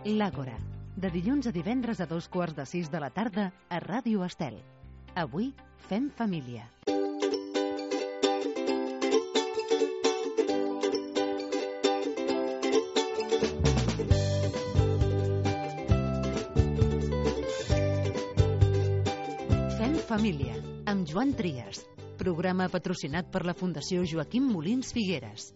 L'Àgora, de dilluns a divendres a 5:15 de la tarda a Ràdio Estel. Avui fem família. Fem família, amb Joan Trias. Programa patrocinat per la Fundació Joaquim Molins Figueres.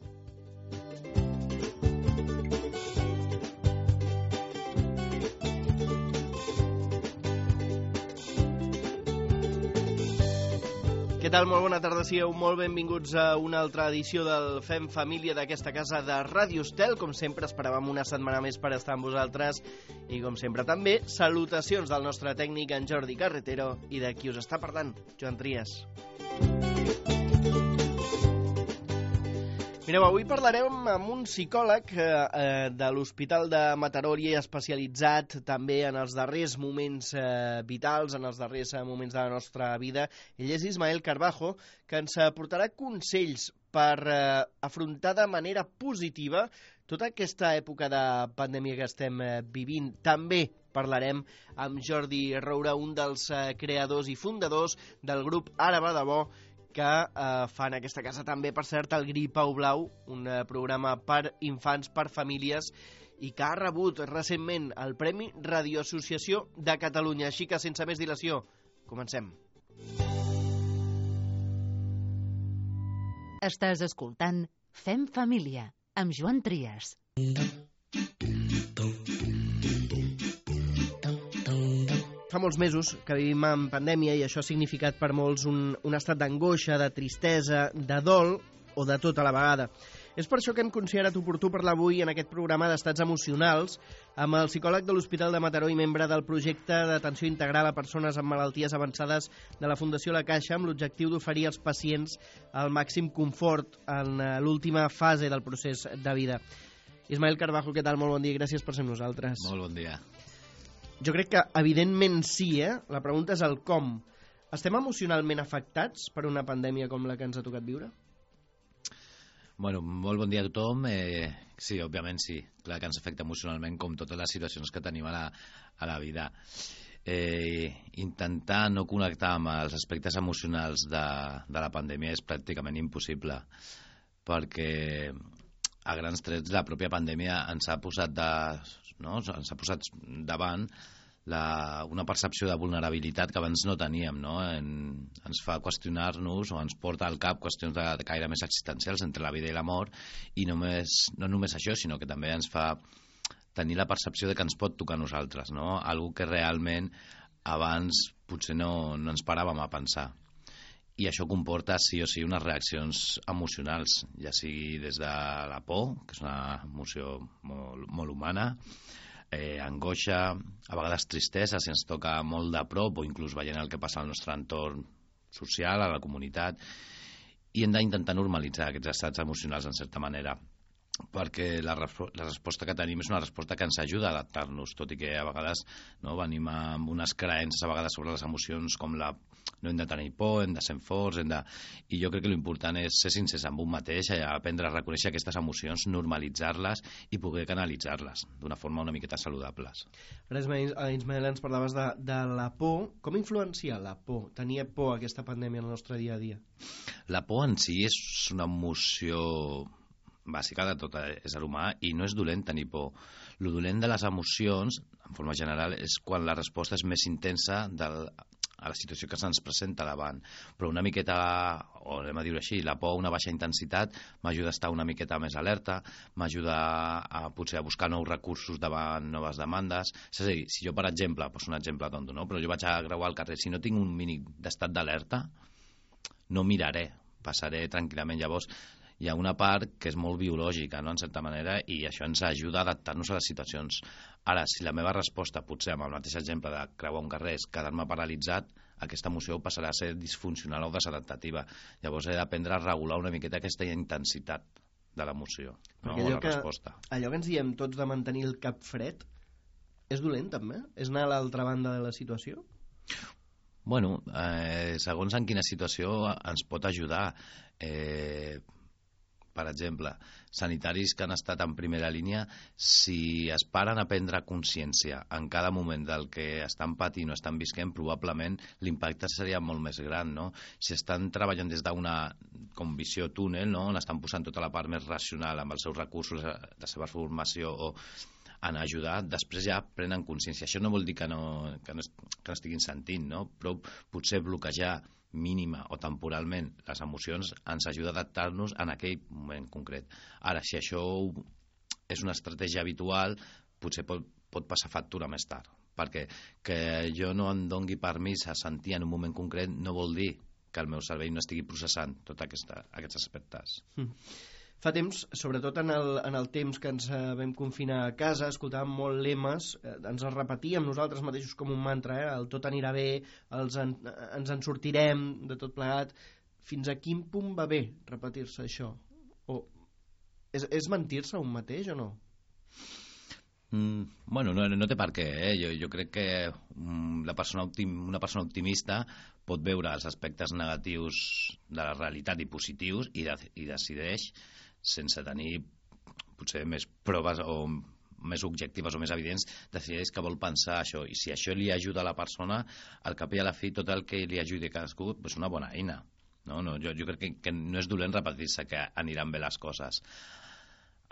Què tal? Molt bona tarda, sigueu molt benvinguts a una altra edició del Fem Família d'aquesta casa de Ràdio Estel. Com sempre, esperàvem una setmana més per estar amb vosaltres i, com sempre, també salutacions del nostre tècnic, en Jordi Carretero, i de qui us està parlant, Joan Trias. Mireu, avui parlarem amb un psicòleg de l'Hospital de Mataró i especialitzat també en els darrers moments vitals, en els darrers moments de la nostra vida. Ell és Ismael Carbajo, que ens aportarà consells per afrontar de manera positiva tota aquesta època de pandèmia que estem vivint. També parlarem amb Jordi Roura, un dels creadors i fundadors del grup Ara va de bo, que fan aquesta casa també, per cert, el Gripau Blau, un programa per infants, per famílies, i que ha rebut recentment el Premi Radioassociació de Catalunya. Així que, sense més dilació, comencem. Estàs escoltant Fem Família, amb Joan Trias. Fa molts mesos que vivim en pandèmia i això ha significat per molts un estat d'angoixa, de tristesa, de dol o de tot a la vegada. És per això que hem considerat oportú parlar avui en aquest programa d'estats emocionals amb el psicòleg de l'Hospital de Mataró i membre del projecte d'atenció integral a persones amb malalties avançades de la Fundació La Caixa, amb l'objectiu d'oferir als pacients el màxim confort en l'última fase del procés de vida. Ismael Carbajo, què tal? Molt bon dia, gràcies per ser amb nosaltres. Molt bon dia. Jo crec que, evidentment, sí, La pregunta és el com. Estem emocionalment afectats per una pandèmia com la que ens ha tocat viure? Bueno, molt bon dia a tothom. Sí, òbviament sí. Clar que ens afecta emocionalment, com totes les situacions que tenim a la vida. Intentar no connectar amb els aspectes emocionals de la pandèmia és pràcticament impossible, perquè a grans trets la pròpia pandèmia ens ha posat davant una percepció de vulnerabilitat que abans no teníem, no? Ens fa qüestionar-nos o ens porta al cap qüestions de caire més existencials entre la vida i la mort, i no només això, sinó que també ens fa tenir la percepció de que ens pot tocar a nosaltres, no? Algo que realment abans potser no ens paràvem a pensar. I això comporta sí o sí unes reaccions emocionals, ja sigui des de la por, que és una emoció molt humana, angoixa, a vegades tristesa si ens toca molt de prop o inclús veient el que passa al nostre entorn social, a la comunitat, i hem d'intentar normalitzar aquests estats emocionals en certa manera, perquè la resposta que tenim és una resposta que ens ajuda a adaptar-nos, tot i que a vegades venim amb unes creences a vegades sobre les emocions com no hem de tenir por, hem de ser forts, i jo crec que l'important és ser sincers amb un mateix, aprendre a reconèixer aquestes emocions, normalitzar-les i poder canalitzar-les d'una forma una miqueta saludables. Ara, Ismael, ens parlaves de la por. Com influencia la por? Tenia por aquesta pandèmia en el nostre dia a dia? La por en si és una emoció bàsica de tot ésser humà i no és dolent tenir por. Lo dolent de les emocions, en forma general, és quan la resposta és més intensa a la situació que se'ns presenta davant. Però una miqueta, o anem a dir-ho així, la por a una baixa intensitat m'ajuda a estar una miqueta més alerta, m'ajuda potser a buscar nous recursos davant noves demandes. És a dir, si jo, per exemple, poso un exemple tonto, no? Però jo vaig a creuar al carrer, si no tinc un mínim d'estat d'alerta, no miraré, passaré tranquil·lament. Llavors, hi ha una part que és molt biològica, no?, en certa manera, i això ens ajuda a adaptar-nos a les situacions. Ara, si la meva resposta, potser amb el mateix exemple de creuar un carrer, és quedar-me paralitzat, aquesta emoció passarà a ser disfuncional o desadaptativa. Llavors he d'aprendre a regular una miqueta aquesta intensitat de l'emoció, no? O la resposta. Allò que ens diem tots de mantenir el cap fred, és dolent també? És anar a l'altra banda de la situació? Bueno, segons en quina situació ens pot ajudar. per exemple, sanitaris que han estat en primera línia, si es paren a prendre consciència en cada moment del que estan patint o estan visquent, probablement l'impacte seria molt més gran, no? Si estan treballant des d'una com visió túnel, no? On estan posant tota la part més racional amb els seus recursos, la seva formació o en ajudar, després ja prenen consciència. Això no vol dir que no estiguin sentint, no? Però potser bloquejar mínima o temporalment les emocions ens ajuda a adaptar-nos en aquell moment concret. Ara, si això és una estratègia habitual, potser pot passar factura més tard, perquè que jo no em dongui permís a sentir en un moment concret no vol dir que el meu cervell no estigui processant tots aquests aspectes. Fa temps, sobretot en el temps que ens vam confinar a casa, escoltàvem molt lemes, ens els repetíem nosaltres mateixos com un mantra, el tot anirà bé, ens en sortirem de tot plegat. Fins a quin punt va bé repetir-se això? O és mentir-se un mateix o no? Bueno, no té per què, Jo crec que una persona optimista pot veure els aspectes negatius de la realitat i positius i decideix, sense tenir potser més proves o més objectives o més evidents, decideix que vol pensar això, i si això li ajuda a la persona, al cap i a la fi tot el que li ajudi a cadascú és una bona eina. Jo crec que no és dolent repetir-se que aniran bé les coses.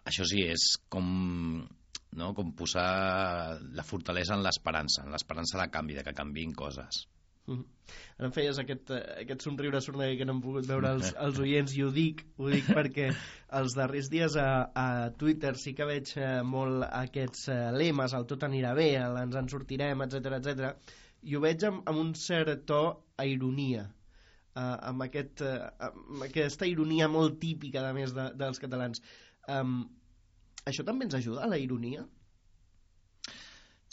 Això sí, és com posar la fortalesa en l'esperança de canvi, de que canviïn coses. Ara em feies aquest somriure sorneguer que no hem pogut veure els oients, i ho dic perquè els darrers dies a Twitter sí que veig molt aquests lemes, el tot anirà bé, ens en sortirem, etc, i ho veig amb un cert to a ironia, amb aquesta ironia molt típica, a més, dels catalans. Això també ens ajuda, la ironia?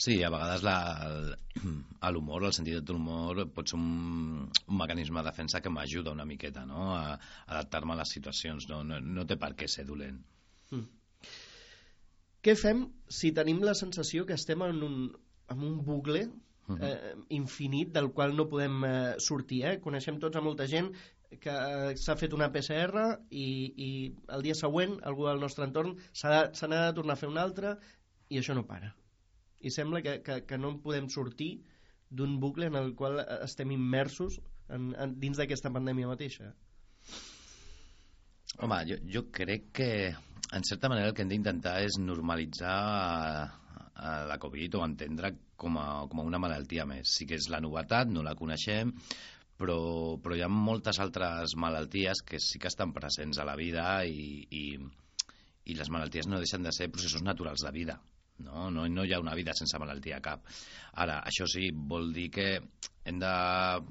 Sí, a vegades l'humor, el sentit de l'humor pot ser un mecanisme de defensa que m'ajuda una miqueta, no? A adaptar-me a les situacions, no té per què ser dolent. Què fem si tenim la sensació que estem en un bucle infinit del qual no podem sortir? Coneixem tots a molta gent que s'ha fet una PCR i el dia següent algú del nostre entorn se n'ha de tornar a fer una altra i això no para. I sembla que no en podem sortir d'un bucle en el qual estem immersos dins d'aquesta pandèmia mateixa. Home, jo crec que en certa manera el que hem d'intentar és normalitzar la Covid o entendre com a una malaltia més. Sí que és la novetat, no la coneixem, però hi ha moltes altres malalties que sí que estan presents a la vida i les malalties no deixen de ser processos naturals de vida. No hi ha una vida sense malaltia cap. Ara, això sí, vol dir que hem de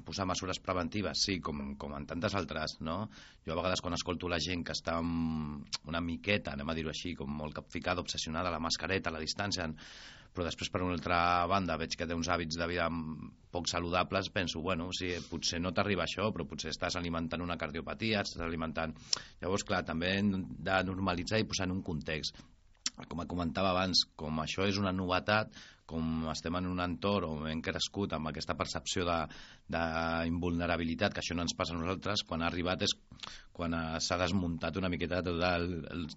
posar mesures preventives, sí, com en tantes altres, no? Jo a vegades quan escolto la gent que està una miqueta, anem a dir-ho així, com molt capficada, obsessionada a la mascareta, a la distància, però després per una altra banda veig que té uns hàbits de vida poc saludables, penso, bueno, sí, potser no t'arriba això, però potser estàs alimentant una cardiopatia, estàs alimentant... Llavors, clar, també hem de normalitzar i posar en un context. Com comentava abans, com això és una novetat, com estem en un entorn on hem crescut amb aquesta percepció d'invulnerabilitat, que això no ens passa a nosaltres, quan ha arribat és quan s'ha desmuntat una miqueta tot el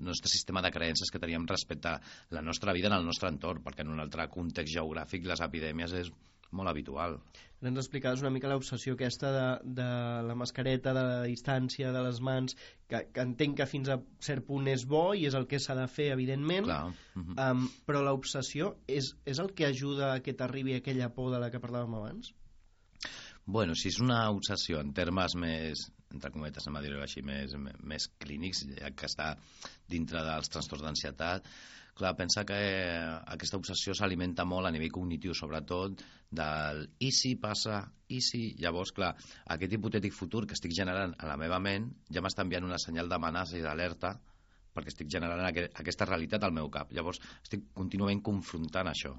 nostre sistema de creences que teníem respecte a la nostra vida en el nostre entorn, perquè en un altre context geogràfic les epidèmies és molt habitual. Ens explicaves una mica l'obsessió aquesta de la mascareta, de la distància, de les mans, que entenc que fins a cert punt és bo i és el que s'ha de fer, evidentment. Però l'obsessió és el que ajuda a que t'arribi aquella por de la que parlàvem abans? Bueno, si és una obsessió en termes més, entre cometes, anem a dir-ho així, més clínics, ja que està dintre dels trastorns d'ansietat, clar, pensa que aquesta obsessió s'alimenta molt a nivell cognitiu, sobretot del i si passa, i si... Llavors, clar, aquest hipotètic futur que estic generant a la meva ment ja m'està enviant una senyal d'amenaça i d'alerta perquè estic generant aquesta realitat al meu cap. Llavors, estic contínuament confrontant això.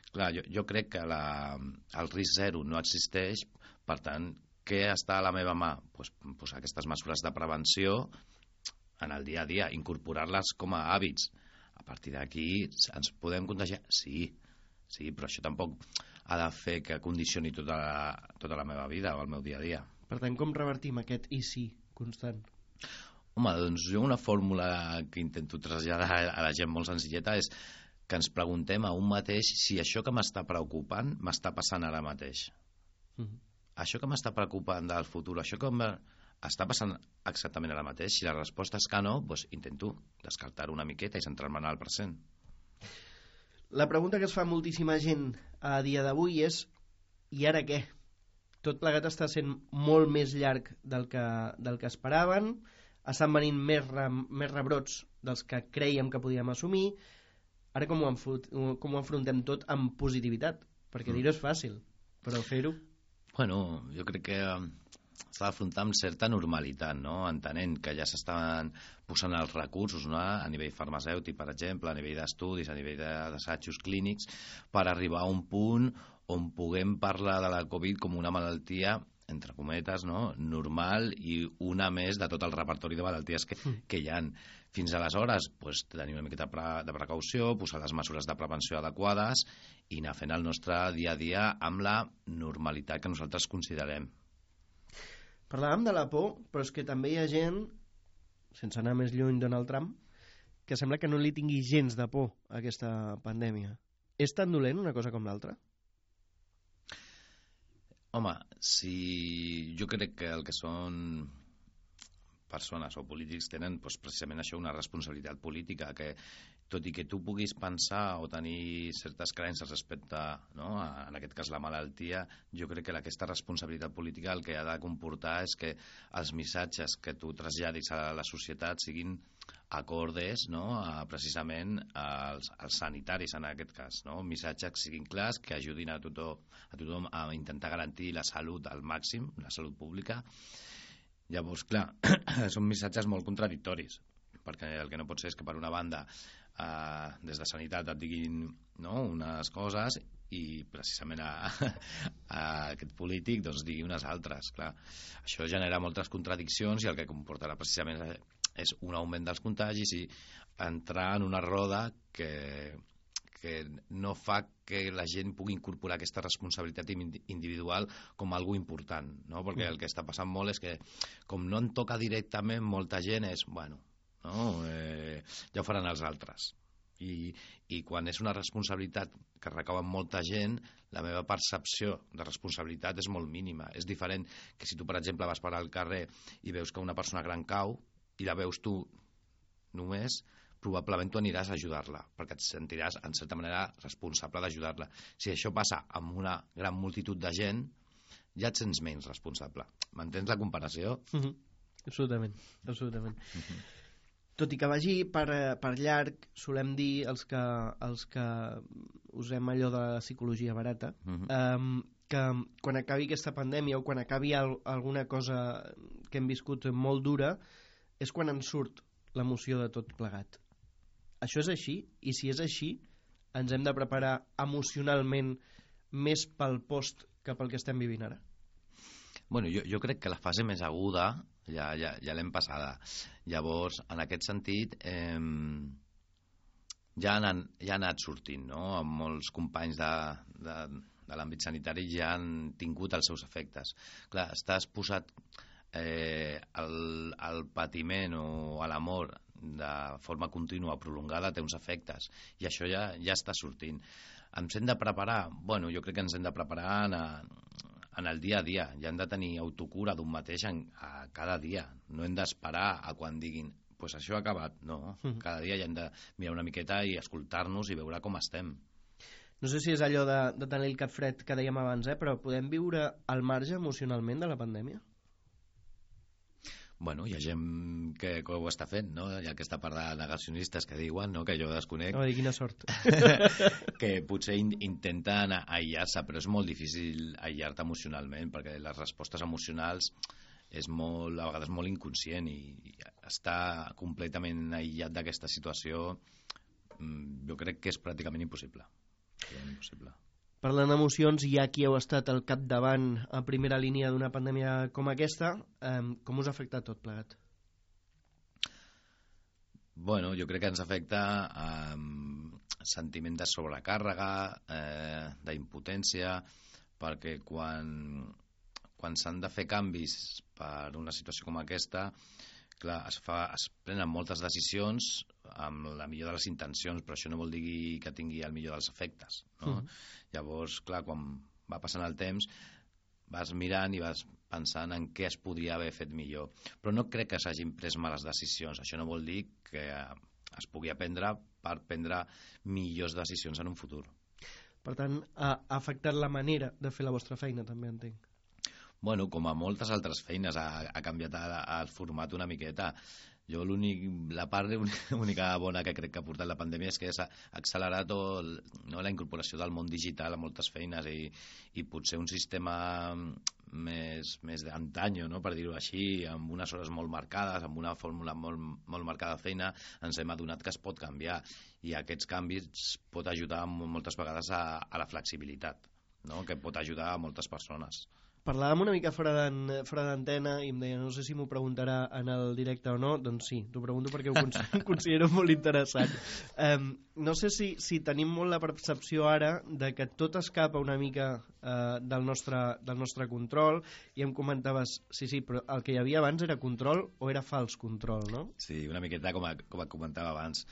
Clar, jo crec que el risc zero no existeix, per tant, què està a la meva mà? Pues aquestes mesures de prevenció en el dia a dia, incorporar-les com a hàbits. A partir d'aquí ens podem contagiar? Sí, però això tampoc ha de fer que condicioni tota la meva vida o el meu dia a dia. Per tant, com revertim aquest i sí constant? Home, doncs jo una fórmula que intento traslladar a la gent molt senzilleta és que ens preguntem a un mateix si això que m'està preocupant m'està passant ara mateix. Això que m'està preocupant del futur, això que està passant exactament ara mateix. Si la resposta és que no, doncs intento descartar-ho una miqueta i centrar-me en el present. La pregunta que es fa moltíssima gent a dia d'avui és i ara què? Tot plegat està sent molt més llarg del que esperaven, estan venint més rebrots dels que creiem que podíem assumir. Ara com ho enfrontem tot amb positivitat? Perquè dir-ho és fàcil, però fer-ho... Bueno, jo crec que s'ha d'afrontar amb certa normalitat, no? Entenent que ja s'estan posant els recursos, no? A nivell farmacèutic, per exemple, a nivell d'estudis, a nivell d'assajos clínics, per arribar a un punt on puguem parlar de la Covid com una malaltia, entre cometes, no? Normal i una més de tot el repertori de malalties que hi ha. Fins aleshores, doncs, tenir una miqueta de precaució, posar les mesures de prevenció adequades i anar fent el nostre dia a dia amb la normalitat que nosaltres considerem. Parlàvem de la por, però és que també hi ha gent, sense anar més lluny Donald Trump, que sembla que no li tingui gens de por a aquesta pandèmia. És tan dolent una cosa com l'altra? Home, si jo crec que el que són persones o polítics tenen doncs, precisament això, una responsabilitat política, que tot i que tu puguis pensar o tenir certes creences respecte, no, en aquest cas la malaltia, jo crec que aquesta responsabilitat política el que ha de comportar és que els missatges que tu traslladis a la societat siguin acordes, no, precisament als sanitaris en aquest cas, no? Missatges que siguin clars, que ajudin a tothom a intentar garantir la salut al màxim, la salut pública. Llavors, clar, són missatges molt contradictoris, perquè el que no pot ser és que per una banda des de Sanitat et diguin, no, unes coses i precisament a aquest polític doncs, digui unes altres. Clar, això genera moltes contradiccions i el que comportarà precisament és un augment dels contagis i entrar en una roda que no fa que la gent pugui incorporar aquesta responsabilitat individual com algo important, no? Perquè el que està passant molt és que com no en toca directament molta gent és, bueno, no? Ja ho faran els altres. I quan és una responsabilitat que recau en molta gent, la meva percepció de responsabilitat és molt mínima. És diferent que si tu, per exemple, vas per al carrer i veus que una persona gran cau i la veus tu només, probablement tu aniràs a ajudar-la, perquè et sentiràs, en certa manera, responsable d'ajudar-la. Si això passa amb una gran multitud de gent, ja et sents menys responsable. M'entens la comparació? Absolutament, absolutament. Tot i que vagi per llarg, solem dir els que usem allò de la psicologia barata, que quan acabi aquesta pandèmia o quan acabi alguna cosa que hem viscut molt dura, és quan en surt l'emoció de tot plegat. Això és així? I si és així, ens hem de preparar emocionalment més pel post que pel que estem vivint ara? Bueno, jo crec que la fase més aguda ja l'hem passada. Llavors, en aquest sentit, ja ha anat sortint, no? Molts companys de l'àmbit sanitari ja han tingut els seus efectes. Clar, estàs posat el patiment o a l'amor de forma contínua, prolongada, té uns efectes, i això ja està sortint. Ens hem de preparar? Bueno, jo crec que ens hem de preparar en el dia a dia, ja hem de tenir autocura d'un mateix a cada dia, no hem d'esperar a quan diguin pues això ha acabat, no, cada dia ja hem de mirar una miqueta i escoltar-nos i veure com estem. No sé si és allò de tenir el cap fred que dèiem abans, però podem viure al marge emocionalment de la pandèmia? Bueno, hi ha gent que ho està fent, no? Hi ha aquesta part de negacionistes que diuen, no?, que jo desconec. Oh, quina sort. Que potser intenten aïllar-se, però és molt difícil aïllar-te emocionalment, perquè les respostes emocionals és molt, a vegades molt inconscient, i estar completament aïllat d'aquesta situació jo crec que és pràcticament impossible. Parlant d'emocions, ja qui heu estat al capdavant a primera línia d'una pandèmia com aquesta, com us ha afectat tot plegat? Bueno, jo crec que ens afecta sentiment de sobrecàrrega, d'impotència, perquè quan s'han de fer canvis per una situació com aquesta, clar, es prenen moltes decisions amb la millor de les intencions, però això no vol dir que tingui el millor dels efectes, no? Llavors, clar, quan va passant el temps, vas mirant i vas pensant en què es podria haver fet millor. Però no crec que s'hagin pres males decisions. Això no vol dir que es pugui aprendre per prendre millors decisions en un futur. Per tant, ha afectat la manera de fer la vostra feina, també entenc. Bueno, com a moltes altres feines, ha canviat el format una miqueta. Jo la part única bona que crec que ha portat la pandèmia és que s'ha accelerat la incorporació del món digital a moltes feines i potser un sistema més d'antany, no? Per dir-ho així, amb unes hores molt marcades, amb una fórmula molt marcada de feina, ens hem adonat que es pot canviar i aquests canvis pot ajudar moltes vegades a la flexibilitat, no? Que pot ajudar a moltes persones. Parlàvem una mica fora d'antena i em deia, no sé si m'ho preguntarà en el directe o no. Doncs sí, t'ho pregunto perquè ho considero molt interessant. No sé si tenim molt la percepció ara de que tot escapa una mica del nostre control, i em comentaves, sí, però el que hi havia abans era control o era fals control, no? Sí, una miqueta com comentava abans.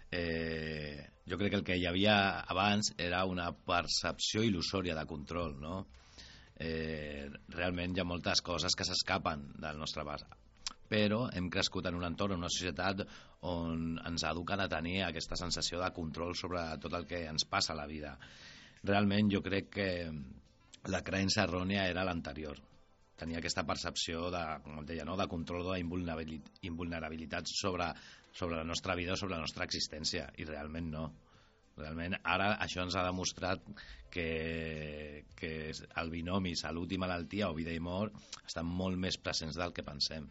Jo crec que el que hi havia abans era una percepció il·lusòria de control, no? Realment hi ha moltes coses que s'escapen del nostre abast, però hem crescut en un entorn, en una societat on ens eduquen a tenir aquesta sensació de control sobre tot el que ens passa a la vida. Realment jo crec que la creença errònia era l'anterior. Tenia aquesta percepció com et deia, no? De control o d'invulnerabilitat sobre la nostra vida o sobre la nostra existència, i realment no. Realment ara això ens ha demostrat que el binomi salut i malaltia o vida i mort estan molt més presents del que pensem.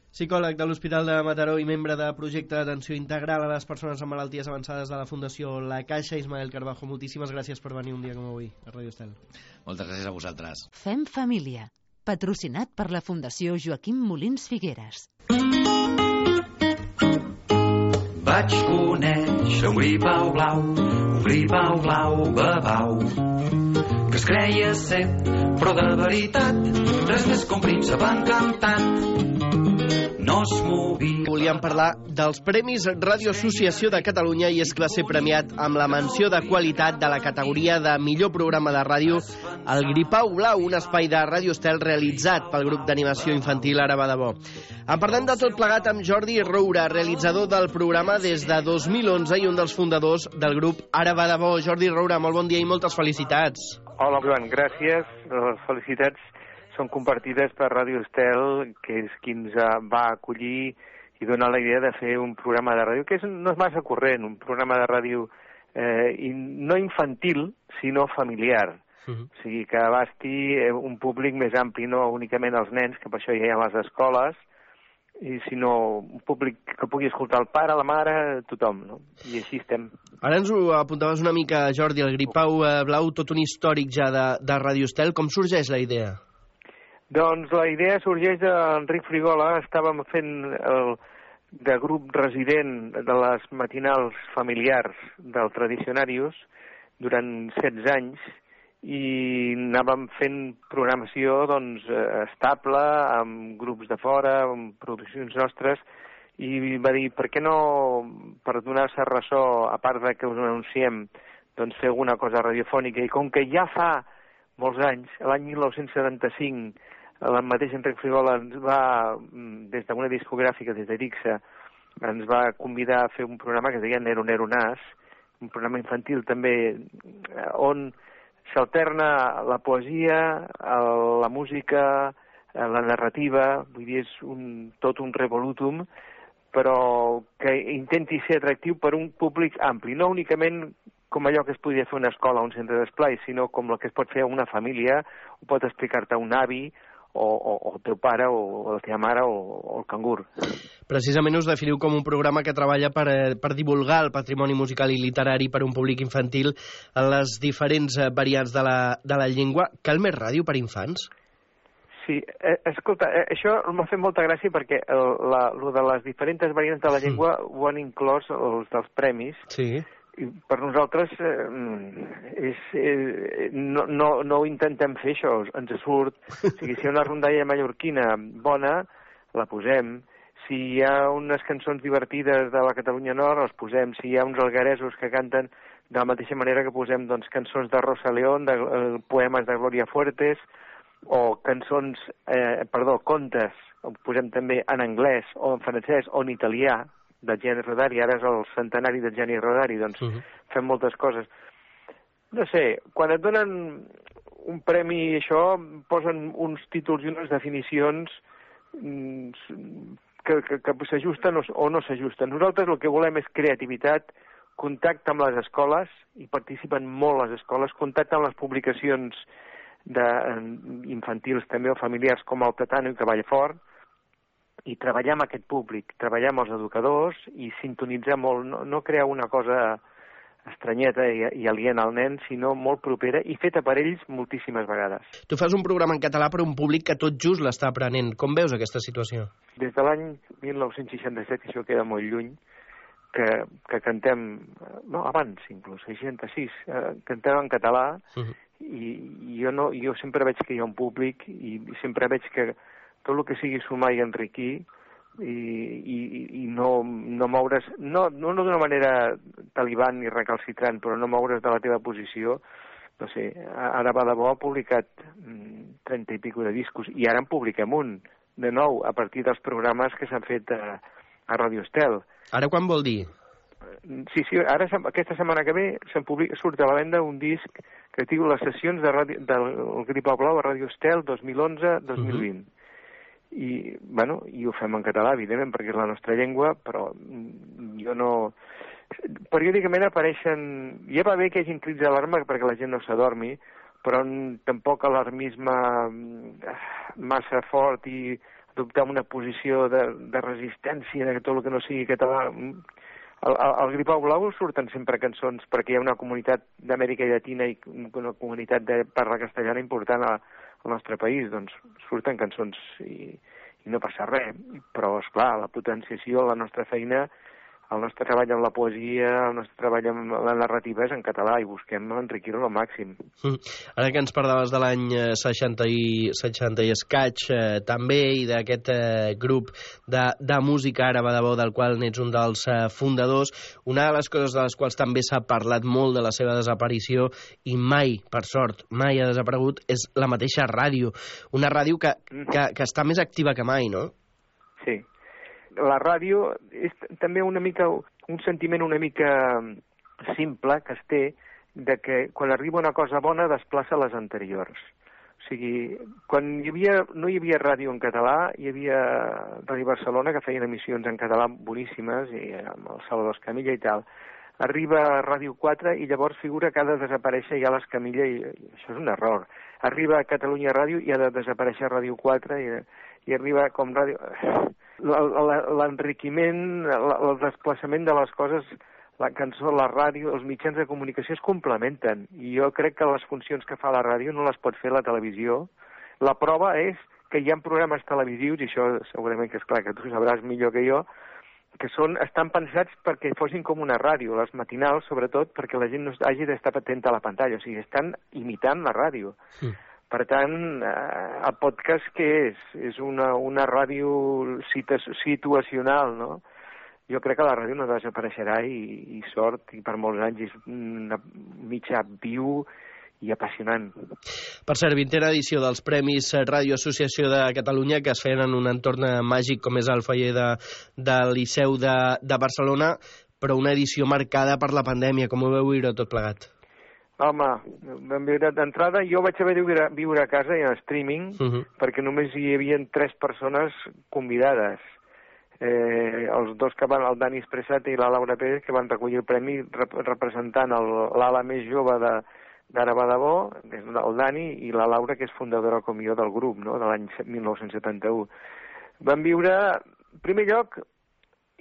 Psicòleg de l'Hospital de Mataró i membre de projecte d'atenció integral a les persones amb malalties avançades de la Fundació La Caixa, Ismael Carbajo, moltíssimes gràcies per venir un dia com avui a Radio Estel. Moltes gràcies a vosaltres. Fem família, patrocinat per la Fundació Joaquim Molins Figueres. Vaig conèixer un gripau blau, babau, que es creia ser, però de veritat, res més que un príncep encantat. No es movia. Volíem parlar dels Premis Ràdio Associació de Catalunya, i és que va ser premiat amb la menció de qualitat de la categoria de millor programa de ràdio el Gripau Blau, un espai de Ràdio Estel realitzat pel grup d'animació infantil Ara va de bo. En parlem de tot plegat amb Jordi Roura, realitzador del programa des de 2011 i un dels fundadors del grup Ara va de bo. Jordi Roura, molt bon dia i moltes felicitats. Hola, Joan, gràcies. Les felicitats són compartides per Ràdio Estel, que és qui ens va acollir i donar la idea de fer un programa de ràdio, que no és massa corrent, un programa de ràdio no infantil, sinó familiar. O sigui, que abasti un públic més ampli, no únicament els nens, que per això hi ha les escoles, sinó un públic que pugui escoltar el pare, la mare, tothom, no? I així estem. Ara ens ho apuntaves una mica, Jordi, el Gripau Blau, tot un històric ja de Ràdio Estel. Com sorgeix la idea? Doncs la idea sorgeix d'Enric Frigola. Estàvem fent de grup resident de les matinals familiars del Tradicionarius durant 16 anys, i anàvem fent programació estable, amb grups de fora, amb produccions nostres, i va dir, per què no, per donar-se ressò, a part de que us anunciem, fer alguna cosa radiofònica. I com que ja fa molts anys, l'any 1975, el mateix Enric Frigola ens va, des d'una discogràfica, des d'Erixa, ens va convidar a fer un programa que es deia Nero Nero Nas, un programa infantil també, on s'alterna la poesia, la música, la narrativa, vull dir, és tot un revolutum, però que intenti ser atractiu per un públic ampli, no únicament com allò que es podria fer una escola o un centre d'esplai, sinó com el que es pot fer a una família, ho pot explicar-te un avi, o el teu pare, o la teva mare, o el cangur. Precisament us definiu com un programa que treballa per divulgar el patrimoni musical i literari per un públic infantil en les diferents variants de la llengua. Cal més ràdio per infants? Sí, escolta, això m'ha fet molta gràcia perquè lo de les diferents variants de la llengua ho han inclòs els dels premis. Sí. I per nosaltres no ho intentem fer, això, ens surt. O sigui, si hi ha una rondalla mallorquina bona, la posem. Si hi ha unes cançons divertides de la Catalunya Nord, les posem. Si hi ha uns algueresos que canten de la mateixa manera que posem doncs, cançons de Rosa León, poemes de Gloria Fuertes, o contes, posem també en anglès, o en francès, o en italià, de Gianni Rodari. Ara és el centenari de Gianni Rodari, doncs fem moltes coses. No sé, quan et donen un premi, això, posen uns títols i unes definicions que s'ajusten o no s'ajusten. Nosaltres el que volem és creativitat, contacte amb les escoles, i participen molt les escoles, contacte amb les publicacions infantils també o familiars com el Tatano i Cavallfort, i treballar amb aquest públic, treballar amb els educadors i sintonitzar molt, no crear una cosa estranyeta i aliena al nen, sinó molt propera i feta per ells moltíssimes vegades. Tu fas un programa en català per a un públic que tot just l'està aprenent. Com veus aquesta situació? Des de l'any 1967, això queda molt lluny, que cantem, no, abans inclús, 66, cantem en català, i jo sempre veig que hi ha un públic i sempre veig que tot el que sigui sumar i enriquir i no moure's, no d'una manera talibant ni recalcitrant, però no moure's de la teva posició. No sé, ara va de bo ha publicat 30 i pico de discos, i ara en publiquem un, de nou, a partir dels programes que s'han fet a Radio Estel. Ara quan vol dir? Sí, ara aquesta setmana que ve surt a la venda un disc que diu Les sessions del Gripau Blau a Radio Estel 2011-2020. I ho fem en català, evidentment, perquè és la nostra llengua, però jo no... Periòdicament apareixen... Ja va bé que hi hagin crits d'alarma perquè la gent no s'adormi, però tampoc alarmisme massa fort i adoptar una posició de resistència de tot el que no sigui català. Al Gripau Blau surten sempre cançons perquè hi ha una comunitat d'Amèrica Llatina i una comunitat de parla castellana important al nostre país, doncs surten cançons i no passa res. Però, esclar, la potenciació, la nostra feina, el nostre treball amb la poesia, el nostre treball amb la narrativa és en català i busquem enriquir-ho al màxim. Ara que ens parlaves de l'any 60 i escaig també, i d'aquest grup de música àraba de bo del qual n'ets un dels fundadors, una de les coses de les quals també s'ha parlat molt de la seva desaparició i mai, per sort, mai ha desaparegut, és la mateixa ràdio. Una ràdio que està més activa que mai, no? Sí. La ràdio és també una mica un sentiment una mica simple que es té de que quan arriba una cosa bona desplaça les anteriors. O sigui, quan no hi havia ràdio en català, hi havia Ràdio Barcelona, que feien emissions en català boníssimes, i amb el Salvador Escamilla i tal. Arriba Ràdio 4 i llavors figura que ha de desaparèixer ja l'Escamilla, i això és un error. Arriba Catalunya Ràdio i ha de desaparèixer Ràdio 4 i arriba com ràdio... L'enriquiment, el desplaçament de les coses, la cançó, la ràdio, els mitjans de comunicació es complementen, i jo crec que les funcions que fa la ràdio no les pot fer la televisió. La prova és que hi ha programes televisius, i això segurament que és clar que tu sabràs millor que jo, que estan pensats perquè fossin com una ràdio, les matinals sobretot, perquè la gent no hagi d'estar atenta a la pantalla, o sigui, estan imitant la ràdio. Sí. Per tant, el podcast què és? És una ràdio situacional, no? Jo crec que la ràdio no desapareixerà i sort, i per molts anys és un mitjà viu i apassionant. Per cert, 20a edició dels Premis Ràdio Associació de Catalunya, que es feien en un entorn màgic com és el foyer del Liceu de Barcelona, però una edició marcada per la pandèmia. Com ho veu viure tot plegat? Home, d'entrada jo vaig haver de viure a casa i en streaming, perquè només hi havia 3 persones convidades. Els dos que van, el Dani Espressat i la Laura Pérez, que van recollir el premi representant l'ala més jove d'Àraba de Bo, el Dani, i la Laura, que és fundadora com jo del grup, no?, de l'any 1971. Van viure, en primer lloc,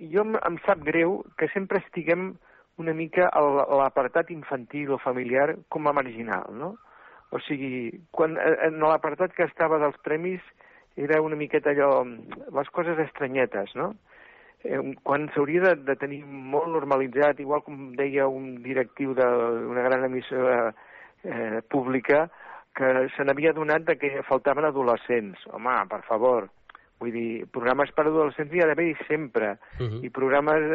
em sap greu que sempre estiguem una mica a l'apartat infantil o familiar com a marginal, no? O sigui, en l'apartat que estava dels premis era una miqueta allò, les coses estranyetes, no? Quan s'hauria de tenir molt normalitzat, igual com deia un directiu d'una gran emissora pública, que se n'havia donat que faltaven adolescents. Home, per favor, Vull dir, programes per adolescents hi ha d'haver sempre. I programes...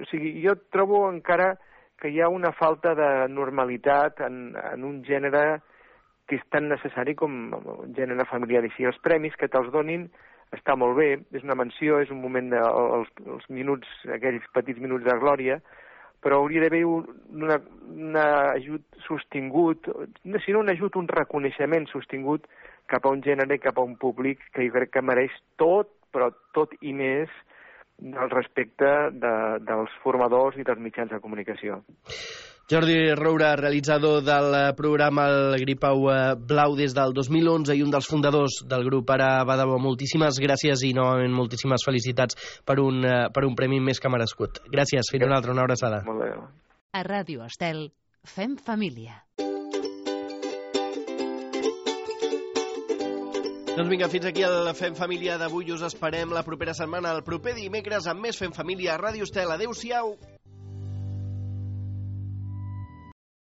O sigui, jo trobo encara que hi ha una falta de normalitat en un gènere que és tan necessari com un gènere familiar. I si els premis que te'ls donin està molt bé, és una menció, és un moment els minuts, aquells petits minuts de glòria, però hauria d'haver un ajut sostingut, si no un ajut, un reconeixement sostingut cap a un gènere, cap a un públic que jo crec que mereix tot, però tot i més, del respecte dels formadors i dels mitjans de comunicació. Jordi Roura, realitzador del programa El Gripau Blau des del 2011 i un dels fundadors del grup Ara va de bo. Moltíssimes gràcies i novament moltíssimes felicitats per un premi més que merescut. Gràcies, fins una altra, una abraçada. Molt bé. A Ràdio Estel, fem família. Doncs vinga, fins aquí el Fem Família d'avui. Us esperem la propera setmana, el proper dimecres, amb més Fem Família a Ràdio Estel. Adéu-siau!